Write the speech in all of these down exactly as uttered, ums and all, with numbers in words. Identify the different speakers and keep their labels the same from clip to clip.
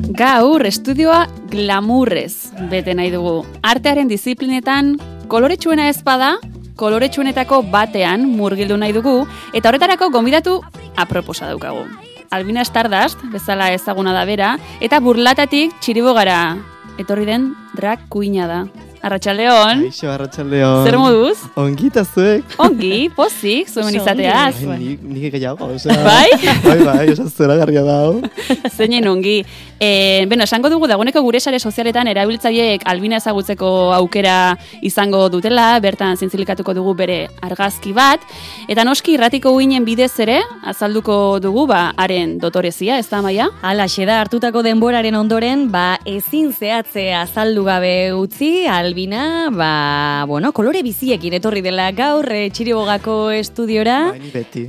Speaker 1: Gaur estudioa glamurrez bete nahi dugu. Artearen disiplinetan koloretsuena ez bada, koloretsuenetako batean murgildu nahi dugu, eta horretarako gonbidatu aproposa daukagu. Albina Stardust, bezala ezaguna da bera, eta burlatatik txiribogara etorri den drag queena da. Arratxaldeon.
Speaker 2: Aixo, arratxaldeon.
Speaker 1: Zer moduz?
Speaker 2: Ongi eta zuek.
Speaker 1: Ongi, pozik, zuen izateaz.
Speaker 2: Nik nik gehiago, osea.
Speaker 1: Bai?
Speaker 2: Bai, bai, osea, zera garria dau.
Speaker 1: Zeinen ongi. E, bueno, esango dugu dagoeneko gure sare sozialetan erabiltzaileek Albina ezagutzeko aukera izango dutela, bertan zintzilikatuko dugu bere argazki bat, eta noski irratiko uinen bidez ere, azalduko dugu, ba, haren dotorezia, ez da, Maia?
Speaker 3: Alaxe da, hartutako denboraren ondoren, ba, ezin zehatze azaldu gabe utzi, Albina, ba, bueno, kolore biziekin etorri dela gaur e, Txiribogako estudiora.
Speaker 2: Bai, ni beti.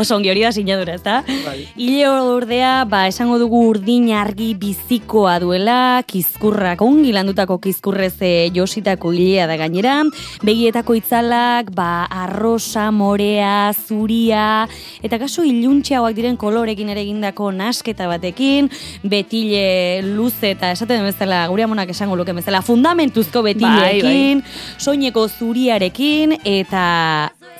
Speaker 3: Oso ongi hori da sinadura, ez da?
Speaker 2: Bai.
Speaker 3: Ile ordea, ba, esango dugu urdin argi bizikoa duela, kizkurrak, ongi landutako kizkurrez e, jositako ilea da gainera, begietako itzalak, ba, arrosa, morea, zuria, eta kaso iluntxeagoak diren kolorekin ere egindako nasketa batekin, betile luze eta esaten bezala, gure amonak esango luke bezala, fundamentuzko betileekin, bai, bai. Soineko zuriarekin, eta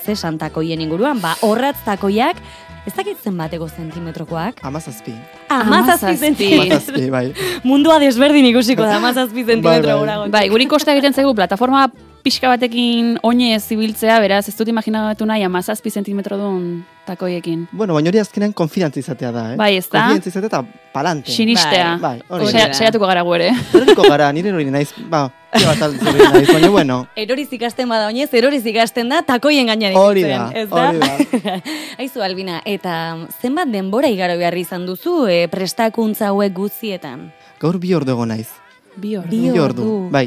Speaker 3: ze santakoien inguruan, ba, horratztakoiak, ez dakit zenbateko zentimetrokoak?
Speaker 2: Amazazpi.
Speaker 3: Amazazpi zentimetro.
Speaker 2: Amazazpi, bai.
Speaker 3: Mundua desberdin ikusiko da, amazazpi zentimetro
Speaker 2: bai,
Speaker 3: gora.
Speaker 2: bai.
Speaker 1: Bai, guri kosta egiten zaigu plataforma pixka batekin oinez zibiltzea, beraz, ez dut imaginatu nahi amazazpi zentimetro duen takoiekin.
Speaker 2: Bueno, baina hori azkenean konfidantza izatea da, eh?
Speaker 1: Bai, ez da?
Speaker 2: Konfidantza izatea eta palante.
Speaker 1: Sinistea.
Speaker 2: Bai, hori
Speaker 1: Osea, saiatuko gara gu ere.
Speaker 2: Eroriko gara, nire hori naiz, ba, tira bat altzori naiz, baina bueno.
Speaker 3: Eroriz ikasten bada oinez, eroriz ikasten da, takoien gainean
Speaker 2: Hori da,
Speaker 3: ez da?
Speaker 2: hori da.
Speaker 3: Aizu, Albina, eta zenbat denbora igaro behar izan duzu e, prestakuntza hauek guztietan?
Speaker 2: Gaur bi ordu egon naiz.
Speaker 1: Bi ordu.
Speaker 3: Bi
Speaker 2: Bi
Speaker 3: ordu.
Speaker 2: Bai.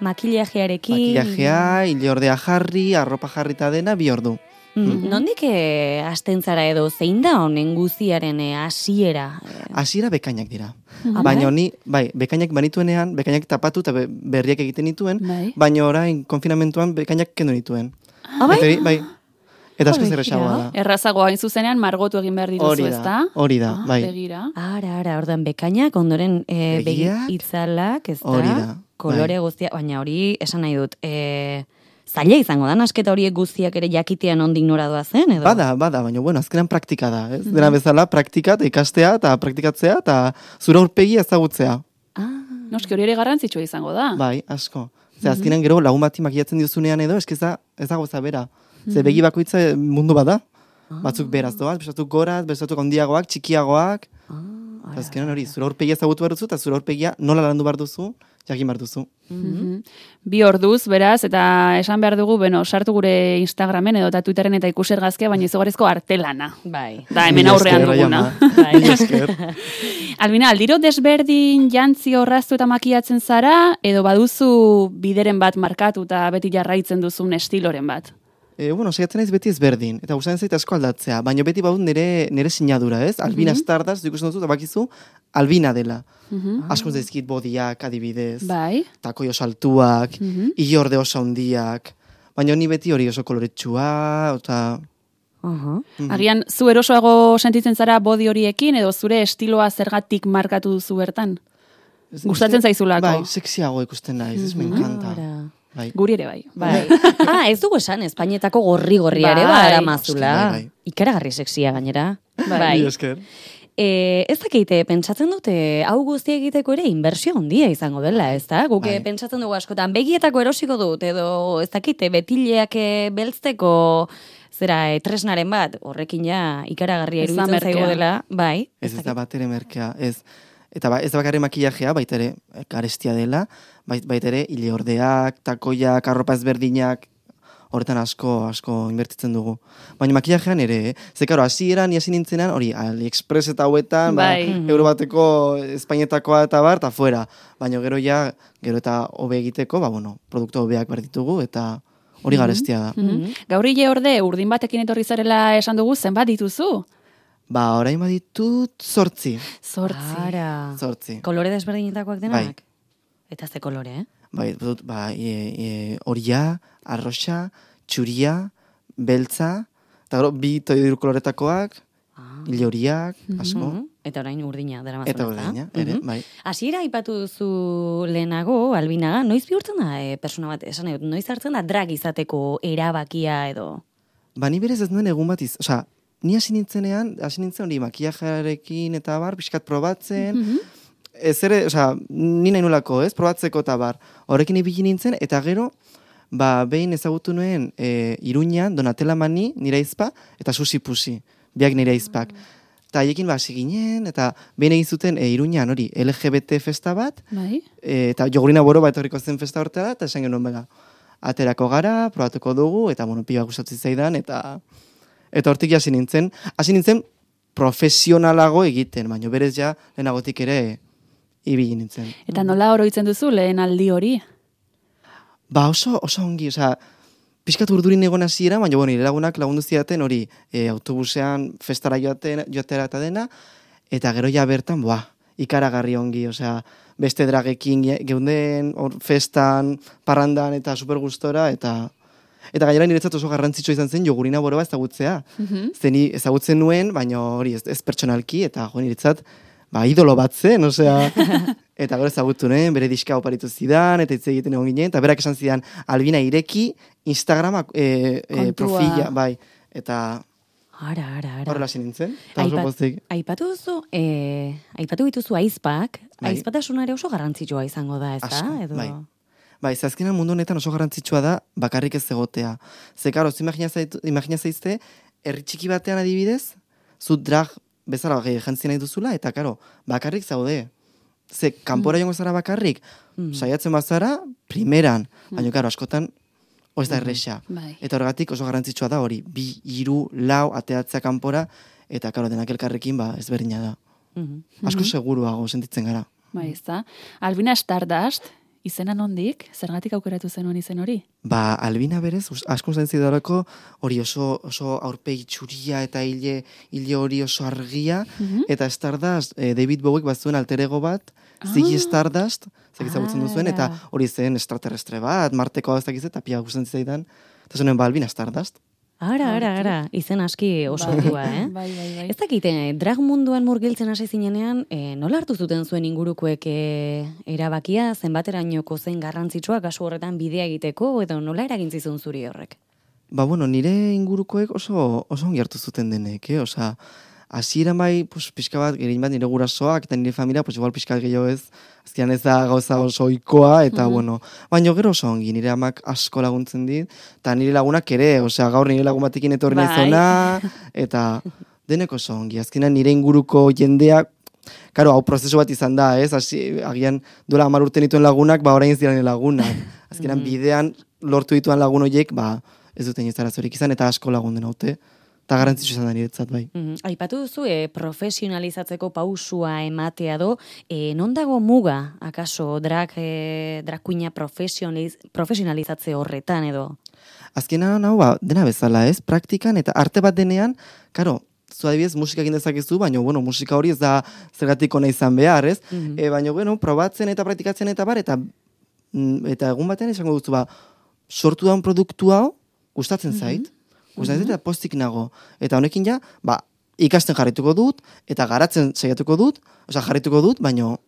Speaker 3: Makillajearekin.
Speaker 2: Makillajea, ile ordea jarri, arropa jarrita dena, bi ordu.
Speaker 3: Mm. Nondik e, hasten zara edo, zein da honen guziaren e, hasiera?
Speaker 2: Hasiera bekainak dira.
Speaker 3: Ah,
Speaker 2: Baina
Speaker 3: bai?
Speaker 2: ni, bai, bekainak banituenean, bekainak tapatu eta be- berriak egiten dituen,
Speaker 1: Bai.
Speaker 2: baina orain konfinamentuan bekainak kendu dituen.
Speaker 3: Ah, bai?
Speaker 2: Eta hori, bai. Eta asko
Speaker 3: Hori,
Speaker 2: zer esagoa
Speaker 3: ja.
Speaker 2: da.
Speaker 1: Errazagoa hain zuzenean margotu egin behar dituzu,
Speaker 2: Hori
Speaker 1: ez
Speaker 2: da,
Speaker 1: da?
Speaker 2: hori da,
Speaker 1: Ah,
Speaker 2: bai.
Speaker 1: Begira.
Speaker 3: Ara, ara, ordan bekainak, ondoren e, begi
Speaker 2: Begiak,
Speaker 3: itzalak, ez da?
Speaker 2: hori da,
Speaker 3: Kolore
Speaker 2: bai.
Speaker 3: guztia, baina hori esan nahi dut, e, zaila izango da, nasketa horiek guztiak ere jakitean ondik nora doa zen, edo?
Speaker 2: Bada, bada, baina bueno, azkenan praktika da, ez? Dena bezala praktika eta ikastea eta praktikatzea eta zure aurpegia ezagutzea.
Speaker 3: Ah,
Speaker 1: Noski hori ere garrantzitsua izango da.
Speaker 2: Bai, asko. Ze azkenan gero lagun bati makiatzen diozunean edo, eske ez da, ez dago za bera. Ze begi bakoitza mundu bada. Batzuk beraz doaz, bestatuk goraz, bestatuk handiagoak, txikiagoak. Eta azkenan hori, zure aurpegia ezagutu behar duzu, eta zure aurpegia nola landu behar duzu, jakin behar duzu.
Speaker 1: Mhm. Bi orduz, beraz, eta esan behar dugu, bueno, sartu gure Instagramen edo eta Twitteren eta ikusi argazkia, baina izugarrizko artelana.
Speaker 3: bai.
Speaker 1: Da, hemen
Speaker 2: Mila
Speaker 1: aurrean
Speaker 2: esker,
Speaker 1: duguna.
Speaker 2: Raiama. Mila esker.
Speaker 1: Albina, aldiro desberdin jantzi orraztu eta makiatzen zara, edo baduzu bideren bat markatu eta beti jarraitzen duzun estiloren bat?
Speaker 2: E, bueno, saiatzen naiz beti ezberdin, eta gustatzen zait asko aldatzea, baina beti badut nire, nire sinadura, ez? Albina Stardust, ikusten duzu, eta bakizu, Albina dela. Asko zaizkit bodiak, adibidez,
Speaker 1: Bai.
Speaker 2: takoi oso altuak, ilorde oso handiak, baina ni beti hori oso koloretsua, eta...
Speaker 3: Aha.
Speaker 1: Agian, zu erosoago sentitzen zara bodi horiekin, edo zure estiloa zergatik markatu duzu bertan? Gustatzen zaizulako.
Speaker 2: Bai, sexiago ikusten naiz, ez me encanta.
Speaker 3: Ara.
Speaker 2: Bai.
Speaker 1: Guri ere bai.
Speaker 3: Bai. Ah, ez dugu esan, Espainietako gorri-gorria ere,
Speaker 1: Bai.
Speaker 3: bada mazula.
Speaker 2: Bai, bai.
Speaker 3: Ikaragarri sexia gainera.
Speaker 2: Mila esker.
Speaker 3: E, ez dakite, pentsatzen dute, hau guztia egiteko ere inbertsio handia izango dela, ez da? Guk
Speaker 2: Bai.
Speaker 3: pentsatzen dugu askotan, begietako erosiko dut, edo ez dakite, betileak eh, beltzteko zera eh, tresnaren bat, horrekin ja ikaragarria
Speaker 1: Ez da
Speaker 3: iruditzen zaigu
Speaker 1: merkea.
Speaker 3: dela, bai.
Speaker 2: Ez ez da bat ere merkea, ez. Eta ba, ez da bakarrik makillajea, baita ere garestia dela, bait, baita ere ileordeak, takoiak, arropa ezberdinak, horretan asko, asko inbertitzen dugu. Baina makillajean ere, eh? Ze, karo, hasieran, ni hasi nintzenan, hori, AliExpress eta hauetan,
Speaker 1: Bai.
Speaker 2: ba, euro bateko Espainietakoa eta bar, eta fuera. Baina gero ja, gero eta hobe egiteko, ba, bueno, produktu hobeak behar ditugu, eta hori garestia da.
Speaker 1: Mhm. Gaur hile orde, urdin batekin etorri zarela esan dugu, zenbat dituzu?
Speaker 2: Ba, orain baditut zortzi.
Speaker 1: Zortzi.
Speaker 3: Ara.
Speaker 2: Zortzi.
Speaker 3: Kolore desberdinetakoak denak?
Speaker 2: Bai.
Speaker 3: Eta ze kolore, eh?
Speaker 2: Bai, dut, ba, e, e, horia, arroxa, txuria, beltza, eta gero, bi toidur koloretakoak, hile horiak, asko.
Speaker 3: Eta orain urdina dara mazuna.
Speaker 2: Eta urdina, ere, bai.
Speaker 3: Hasiera aipatu duzu lehenago, Albinaga, noiz bihurtzen da e, persona bat, esan dut, noiz hartzen da drag izateko erabakia edo?
Speaker 2: Ba, ni berez ez nuen egun bat iz, osea, ni hasi nintzenean, hasi nintzen hori makillajearekin eta bar, pixkat probatzen, mm -hmm. ez ere, osea, ni nahi nolako, ez, probatzeko eta bar, horrekin ibili nintzen, eta gero, ba, behin ezagutu nuen e, Iruñan, Donatella Mani, nire izpa, eta Susi Pusi, biak nire izpak. Eta haiekin ba, hasi ginen, eta behin egin zuten e, Iruñan hori, L G B T festa bat,
Speaker 1: bai.
Speaker 2: e, eta jogurina boro bat horriko zen festa hortela, eta esan genuen bega, aterako gara, probatuko dugu, eta bueno, piba gustatzen zaidan, eta eta hortik hasi nintzen, hasi nintzen profesionalago egiten, baina berez ja lehenagotik ere ibili nintzen.
Speaker 1: Eta nola oroitzen duzu lehen aldi hori?
Speaker 2: Ba oso, oso ongi, osea, pixkat urdurin egon hasiera, baina bueno, nire lagunak lagundu zidaten hori e, autobusean festara joaten, joatera eta dena, eta gero ja bertan, boa, ikaragarri ongi, osea, beste dragekin geunden, or, festan, parrandan eta supergustora, eta eta gainera niretzat oso garrantzitsua izan zen jogurina boroa ezagutzea. Mm-hmm. Zeni ezagutzen nuen, baina hori ez, ez pertsonalki, eta jo niretzat, ba, idolo bat zen, osea, eta gero ezagutu nuen, bere diska oparitu zidan, eta hitz egiten egon ginen, eta berak esan zidan, Albina ireki Instagrama e, e, profila, bai, eta
Speaker 3: Ara, ara, ara.
Speaker 2: horrela nintzen.
Speaker 3: Aipat, aipatu duzu, eh, aipatu dituzu aizpak, bai. Aizpatasuna ere oso garrantzitsua izango da, ez da?
Speaker 2: Asko,
Speaker 3: edo...
Speaker 2: bai. Bai, zazkenan mundu honetan oso garrantzitsua da bakarrik ez egotea. Ze, karo, zu imagina zaizte, herri txiki batean adibidez, zu drag bezala jantzien nahi duzula, eta, karo, bakarrik zaude. Ze, kanpora mm. jongo zara bakarrik, mm. saiatzen bazara, primeran, mm. baina, karo, askotan, oiz da erresa.
Speaker 1: Bai.
Speaker 2: Eta horregatik oso garrantzitsua da hori, bi, hiru, lau, ateatzea kanpora, eta, karo, denak elkarrekin, ba, ezberdina da. Mm-hmm. Asko seguruago sentitzen gara.
Speaker 1: Bai, ez da. Albina Stardust, izena nondik? Zergatik aukeratu zenuen izen hori?
Speaker 2: Ba, Albina berez, asko zentzit darako, hori oso, oso aurpegi txuria eta hile, hile hori oso argia, mm-hmm. eta Stardust, eh, David Bowiek bat zuen alterego bat, ah. Ziggy Stardust, zekizagutzen ah, duzuen, eta hori zen extraterrestre bat, Marteko ez dakiz, eta pia gustatzen zaidan, eta zuen ba, Albina Stardust.
Speaker 3: Ara, ara, ara, izen aski oso dua, eh?
Speaker 1: Bai, bai, bai.
Speaker 3: Ez dakite, drag munduan murgiltzen hasi zinenean, e, nola hartu zuten zuen ingurukoek e, erabakia, zenbaterainoko zen garrantzitsua, kasu horretan bidea egiteko, edo nola eragin zizun zuri horrek?
Speaker 2: Ba, bueno, nire ingurukoek oso, oso ongi hartu zuten denek, eh? Osa, hasieran bai, pues, pixka bat, gerin bat nire gurasoak, eta nire familia, pues, igual pixka gehiago ez, azkenean ez da gauza oso oikoa, eta, mm-hmm. bueno, baina gero oso ongi, nire amak asko laguntzen dit, eta nire lagunak ere, osea, gaur nire lagun batekin etorri bai. Naizona, eta denek oso ongi, azkenean nire inguruko jendeak, karo, hau prozesu bat izan da, ez, hasi, agian duela hamar urte nituen lagunak, ba, orain ziren lagunak, azkenean mm-hmm. bidean lortu dituan lagun horiek, ba, ez duten ez arazorik izan, eta asko lagun den haute. Eta garrantzitsu izan da niretzat, bai. Mm-hmm.
Speaker 3: Aipatu duzu, e, profesionalizatzeko pausua ematea do, e, non dago muga, akaso, drag, e, drag queena profesionaliz, profesionalizatze horretan edo?
Speaker 2: Azkenan, hau, ba, dena bezala, ez? Praktikan eta arte bat denean, karo, zu adibidez musika egin dezakezu, baina, bueno, musika hori ez da zergatik ona izan behar, ez? Mm-hmm. E, baina, bueno, probatzen eta praktikatzen eta bar, eta, eta egun batean esango duzu, ba, sortu daun produktu hau, gustatzen zait, mm-hmm. Gustatzen eta postik nago. Eta honekin ja, ba, ikasten jarrituko dut, eta garatzen saiatuko dut, osea jarrituko dut, baino,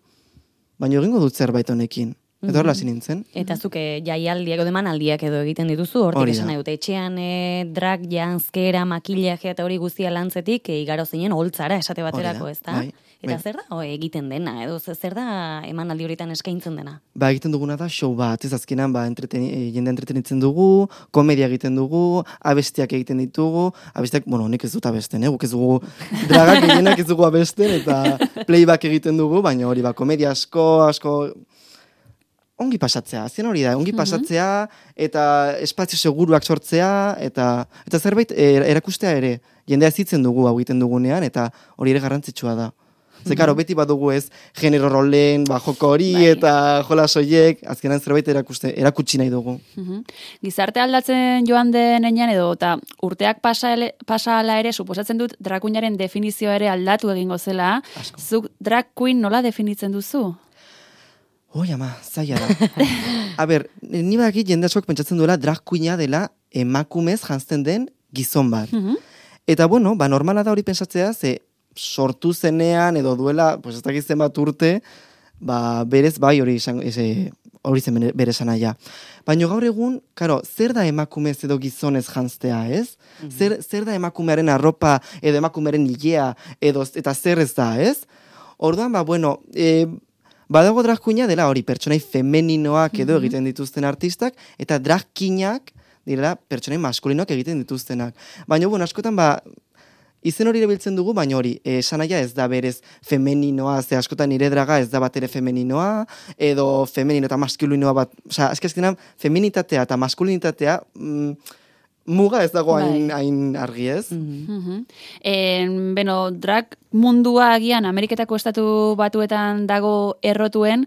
Speaker 2: baino egingo dut zerbait honekin. Eta horrela nintzen.
Speaker 3: Eta zuke jaialdiak edo demanaldiak edo egiten dituzu, hortik esan nahi dute, etxean e, drag, janzkera, makillaje eta hori guztia lantzetik, e, igaro zinen holtzara esate baterako, ez da? Bai, eta bai. Zer da o, egiten dena, edo zer da emanaldi horietan eskaintzen dena?
Speaker 2: Ba, egiten duguna da show bat, ez azkenan, ba, entreten, jende entretenitzen dugu, komedia egiten dugu, abestiak egiten ditugu, abestiak, bueno, nik ez dut abesten, eh? Guk ez dugu dragak egienak ez dugu abesten, eta playback egiten dugu, baina hori, ba, komedia asko, asko, ongi pasatzea, azien hori da, ongi pasatzea, eta espazio seguruak sortzea, eta eta zerbait erakustea ere, jendea zitzen dugu hau egiten dugunean, eta hori ere garrantzitsua da. Ze, karo, beti badugu ez, genero rolen, ba, joko hori, bai. Eta jola soiek, azkenan zerbait erakuste, erakutsi nahi dugu.
Speaker 1: Uhum. Gizarte aldatzen joan denean edo, eta urteak pasa, ele, pasa ala ere, suposatzen dut, drag queenaren definizioa ere aldatu egingo zela. Asko. Zuk drag queen nola definitzen duzu?
Speaker 2: Oi, ama, zaila da. A ber, ni badakit jende askok pentsatzen duela drag queena dela emakumez janzten den gizon bat. Mm-hmm. Eta bueno, ba normala da hori pentsatzea, ze sortu zenean, edo duela, pues ez dakitzen bat urte, ba, berez bai hori izan, eze, hori zen bere esanaia. Baina gaur egun, karo, zer da emakumez edo gizonez janztea, ez? Mm-hmm. Zer, zer da emakumearen arropa, edo emakumearen hilea, edo, eta zer ez da, ez? Orduan, ba, bueno, e, badago drag queena dela hori, pertsonai femeninoak edo mm-hmm. egiten dituzten artistak, eta drag kinak direla pertsonai maskulinoak egiten dituztenak. Baina, bueno, askotan, ba, izen hori erabiltzen dugu, baina hori, esanaia ez da berez femeninoa, ze askotan nire draga ez da bat ere femeninoa, edo femenino eta maskulinoa bat, oza, azkezkenan, feminitatea eta maskulinitatea, mm, muga ez dago hain, hain argi ez.
Speaker 1: Mm-hmm. Mm-hmm. En, beno, drag mundua agian Ameriketako estatu batuetan dago errotuen,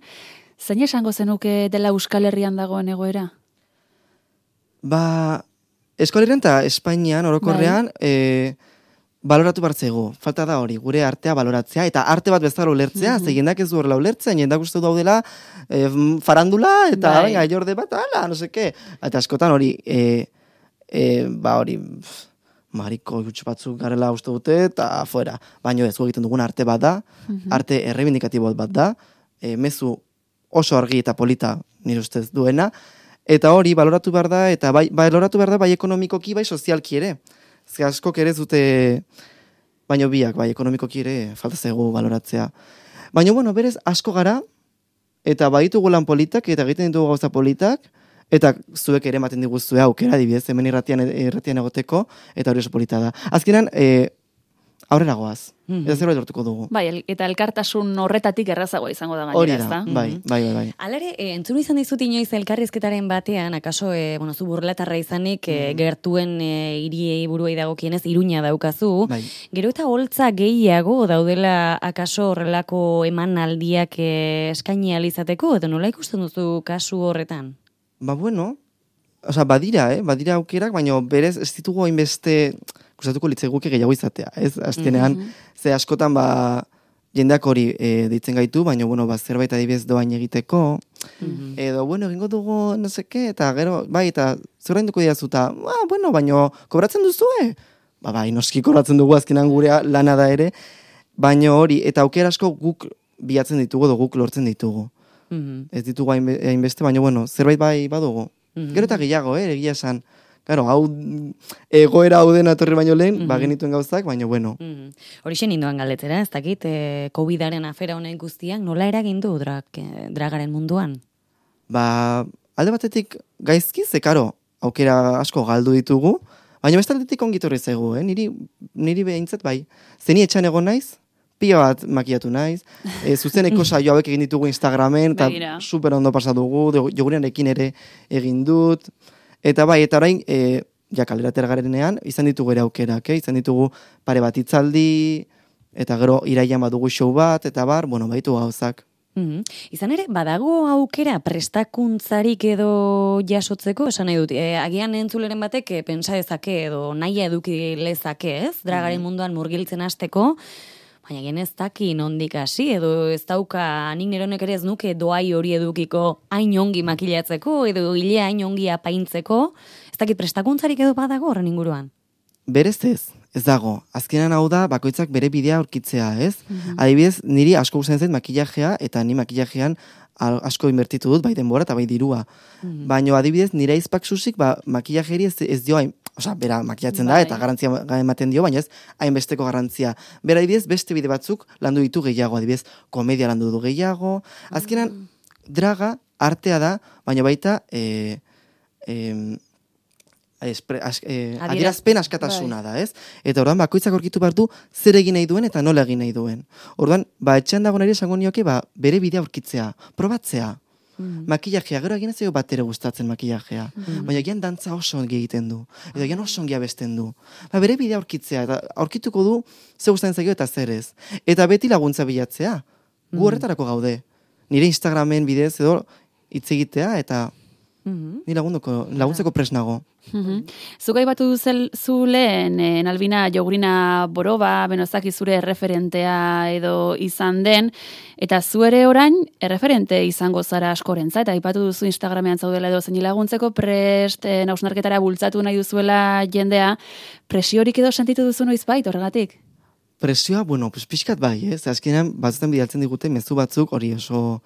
Speaker 1: zein esango zenuke dela Euskal Herrian dagoen egoera?
Speaker 2: Ba, Euskal Herrian eta Espainian, orokorrean, bai. e, baloratu bartzego. Falta da hori, gure artea baloratzea, eta arte bat bezala ulertzea, mm-hmm. ze jendak ez du horrela ulertzea, jendak uste daudela e, farandula, eta bai. Venga, jorde bat, ala, no seke. Eta askotan hori, e, e, ba hori, pff, mariko gutxi batzuk garela uste dute, eta fuera. Baina ez, gu egiten dugun arte bat da, mm-hmm. arte errebindikatibo bat da, e, mezu oso argi eta polita nire ustez duena, eta hori baloratu behar da, eta bai, baloratu behar da bai ekonomikoki, bai sozialki ere. Ze askok ere zute, baino biak, bai, ekonomikoki ere falta zaigu baloratzea. Baina, bueno, berez, asko gara, eta baditugu lan politak, eta egiten ditugu gauza politak, eta zuek ere ematen diguzue aukera, adibidez, hemen irratian, irratian egoteko, eta hori oso polita da. Azkenan, e, aurrera goaz. Mm-hmm. Eta zerbait lortuko dugu.
Speaker 1: Bai, el, eta elkartasun horretatik errazagoa izango da gainera, ez da?
Speaker 2: Bai, bai, bai, bai.
Speaker 3: Alare, e, entzun izan dizut inoiz elkarrizketaren batean, akaso, e, bueno, zu burlatarra izanik, mm. e, gertuen e, iriei buruei dagokienez, Iruña daukazu. Bai. Gero eta holtza gehiago daudela akaso horrelako emanaldiak e, eskaini alizateko, edo nola ikusten duzu kasu horretan?
Speaker 2: Ba, bueno, oza, badira, eh? Badira aukerak, baina berez ez ditugu hainbeste gustatuko litzaiguke gehiago izatea, ez? Azkenean, mm-hmm. ze askotan, ba, jendeak hori e, deitzen gaitu, baina, bueno, ba, zerbait adibidez doain egiteko, mm-hmm. edo, bueno, egingo dugu, no seke, eta gero, bai, eta zer duko diazuta, ba, bueno, baina, kobratzen duzue? Ba, bai, noski kobratzen dugu azkenan gurea lana da ere, baina hori, eta aukera asko guk bilatzen ditugu, edo guk lortzen ditugu. Mm-hmm. Ez ditugu hainbeste, baina, bueno, zerbait bai badugu. Mm-hmm. Gero eta gehiago, eh, egia esan. Claro, hau egoera hau den atorri baino lehen, mm-hmm. ba genituen gauzak, baina bueno.
Speaker 3: Mm-hmm. Horixen indoan galetzera, ez dakit, e, COVIDaren afera honen guztiak, nola eragin du drag, e, dragaren munduan?
Speaker 2: Ba, alde batetik gaizki, ze karo, aukera asko galdu ditugu, baina bestaldetik ongitorri zaigu, eh? Niri, niri behintzat bai. Zeni etxan egon naiz, pila bat makiatu naiz, e, zuzeneko saio hauek egin ditugu Instagramen, eta super ondo pasadugu, jogurianekin ere egin dut, eta bai, eta orain, e, ja kaleratera garenean, izan ditugu ere aukerak, eh? Izan ditugu pare bat hitzaldi, eta gero iraian badugu show bat, eta bar, bueno, baitu gauzak.
Speaker 3: Mm-hmm. Izan ere, badago aukera prestakuntzarik edo jasotzeko, esan nahi dut, e, agian entzuleren batek e, pensa dezake edo nahi eduki lezake, ez? Dragaren munduan murgiltzen hasteko, baina gen ez daki nondik hasi, edo ez dauka nik neronek ere ez nuke doai hori edukiko hain ongi makilatzeko, edo hilea hain ongi apaintzeko, ez dakit prestakuntzarik edo badago horren inguruan?
Speaker 2: Berez ez, ez dago. Azkenan hau da, bakoitzak bere bidea aurkitzea, ez? Mm-hmm. Adibidez, niri asko gustatzen zait makillajea, eta ni makillajean asko inbertitu dut, bai denbora eta bai dirua. Mm-hmm. Baina adibidez, nire izpak susik, ba, makillajeri ez, ez dio hain, osea, bera makillatzen bai. Da, eta garantzia ematen dio, baina ez hainbesteko garantzia. Bera adibidez, beste bide batzuk landu ditu gehiago, adibidez, komedia landu du gehiago. Azkenan, mm. draga, artea da, baina baita, e, e, espre, as, e, adierazpen askatasuna bai. Da, ez? Eta orduan, bakoitzak aurkitu behar du, zer egin nahi duen eta nola egin nahi duen. Orduan, ba, etxean dago nire esango nioke, ba, bere bidea aurkitzea, probatzea. Mm. Makillajea, gero egin ez ego bat ere gustatzen makillajea. Mm. Baina egian dantza oso ongi egiten du. Edo egian oso ongi abesten du. Ba, bere bidea aurkitzea, eta aurkituko du ze gustatzen zaio eta zer ez. Eta beti laguntza bilatzea. Gu horretarako gaude. Nire Instagramen bidez edo hitz egitea eta mm-hmm. ni lagunduko, laguntzeko presnago.
Speaker 1: Mm-hmm. Zugai batu zu lehen, en Albina Jogurina Boroba, benozaki zure erreferentea edo izan den, eta zu ere orain erreferente izango zara askorentza, eta aipatu duzu Instagramean zaudela edo zein laguntzeko prest, eh, nausnarketara bultzatu nahi duzuela jendea, presiorik edo sentitu duzu noizbait horregatik?
Speaker 2: Presioa, bueno, pues pixkat bai, ez? Azkenean, batzutan bidaltzen digute mezu batzuk hori oso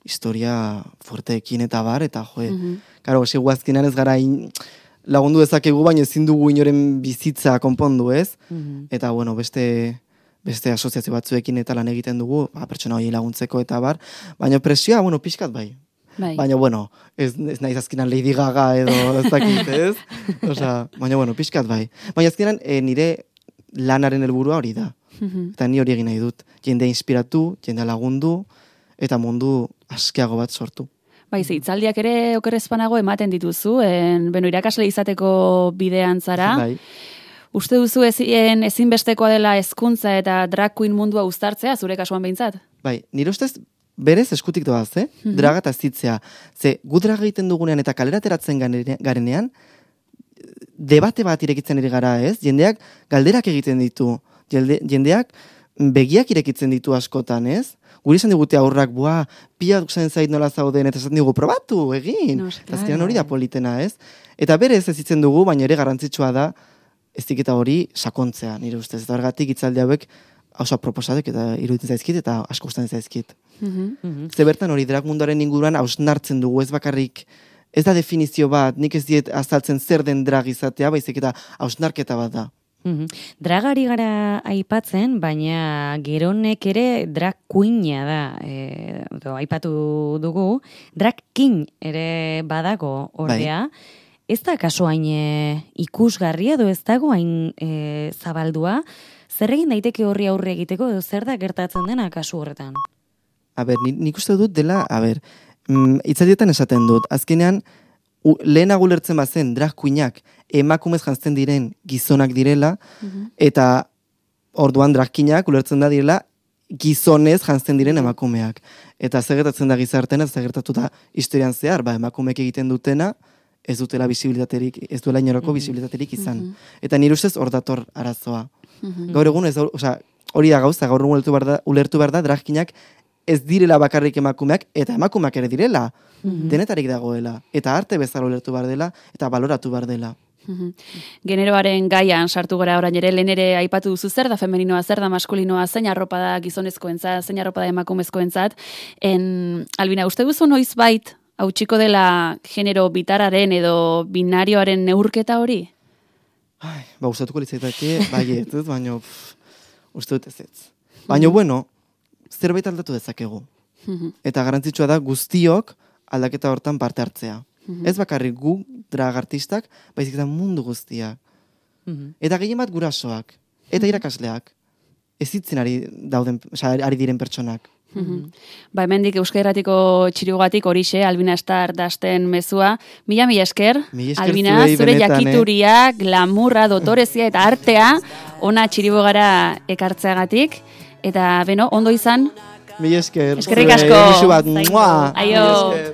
Speaker 2: historia fuerteekin eta bar, eta joe, mm-hmm. Karo, segu azkenean ez gara in, lagundu dezakegu, baina ezin dugu inoren bizitza konpondu, ez? Mm-hmm. Eta, bueno, beste beste asoziazio batzuekin eta lan egiten dugu, ba, pertsona hori laguntzeko eta bar, baina presioa, bueno, pixkat bai.
Speaker 1: Bai.
Speaker 2: Baina, bueno, ez, ez naiz azkenan Lady Gaga edo ez dakit, ez? Osea, baina, bueno, pixkat bai. Baina azkenan e, nire lanaren helburua hori da. Mm-hmm. Eta ni hori egin nahi dut. Jendea inspiratu, jendea lagundu, eta mundu askeago bat sortu.
Speaker 1: Bai, ze, itzaldiak ere okerrezpanago ematen dituzu, en, beno, irakasle izateko bidean zara. Bai. Uste duzu ezin, ezinbestekoa dela hezkuntza eta drag queen mundua uztartzea, zure kasuan behintzat?
Speaker 2: Bai, nire ustez berez eskutik doaz, eh? Mm-hmm. Draga eta zitzea. Ze, gu draga egiten dugunean eta kalera ateratzen garenean, debate bat irekitzen ere gara, ez? Jendeak galderak egiten ditu. Jende, jendeak begiak irekitzen ditu askotan, ez? Guri esan digute aurrak, bua, pia duzen zait nola zauden, eta esaten dugu, probatu, egin. No, Azkenan hori da politena, ez? Eta berez ez itzen dugu, baina ere garrantzitsua da, ez diketa hori sakontzea, nire ustez. Eta horregatik itzaldi hauek oso proposatek eta iruditzen zaizkit, eta asko gustatzen zaizkit. Mm-hmm. Ze bertan hori drag munduaren inguruan hausnartzen dugu, ez bakarrik, ez da definizio bat, nik ez diet azaltzen zer den drag izatea, baizik eta hausnarketa bat da.
Speaker 3: Mm-hmm. Dragari gara aipatzen, baina geronek ere drag queena da, e, do, aipatu dugu, drag king ere badago ordea, bai. Ez da kaso hain e, ikusgarria edo ez dago hain e, zabaldua, zer egin daiteke horri aurre egiteko edo zer da gertatzen dena kasu horretan?
Speaker 2: A ber, nik uste dut dela, a ber, mm, itzaldietan esaten dut, azkenean, u, lehenago ulertzen bazen drag queenak emakumez jantzen diren gizonak direla, mm-hmm. eta orduan drag queenak ulertzen da direla gizonez jantzen diren emakumeak. Eta zegertatzen da gizartena, zegertatu da historian zehar, ba, emakumeek egiten dutena, ez dutela visibilitaterik, ez duela inorako mm-hmm. visibilitaterik izan. Mm-hmm. Eta nire ustez hor dator arazoa. Mm-hmm. Gaur egun, ez, osea, hori da gauza, gaur egun ulertu behar da, ulertu behar da drag queenak ez direla bakarrik emakumeak, eta emakumeak ere direla. Mm-hmm. Denetarik dagoela. Eta arte bezala ulertu behar dela, eta baloratu behar dela.
Speaker 1: Mm-hmm. Generoaren gaian sartu gara orain ere, lehen ere aipatu duzu zer da femeninoa, zer da maskulinoa, zein arropa da gizonezkoentzat, zein arropa da emakumezkoentzat. En, Albina, uste duzu noiz bait, hautsiko dela genero bitararen edo binarioaren neurketa hori?
Speaker 2: Ai, ba, gustatuko litzaitake, bai ez, baina uste dut ez ez. Baina, mm-hmm. bueno, zerbait aldatu dezakegu. Mm-hmm. Eta garrantzitsua da guztiok aldaketa hortan parte hartzea. Mm-hmm. Ez bakarrik gu drag artistak, baizik eta mundu guztiak. Mm-hmm. Eta gehien bat gurasoak, eta irakasleak. Ez itzen ari, dauden, oza, ari diren pertsonak.
Speaker 1: Mm-hmm. Ba, hemendik Euskal Herratiko txirugatik horixe, Albina Star dasten mezua. Mila, mila esker,
Speaker 2: mila esker
Speaker 1: Albina,
Speaker 2: zuei,
Speaker 1: zure
Speaker 2: benetan,
Speaker 1: jakituria, eh? Glamurra, dotorezia eta artea, ona txiribogara ekartzeagatik. Eta, beno, ondo izan?
Speaker 2: Mila esker.
Speaker 1: Eskerrik asko.
Speaker 2: Aio.
Speaker 1: Aio.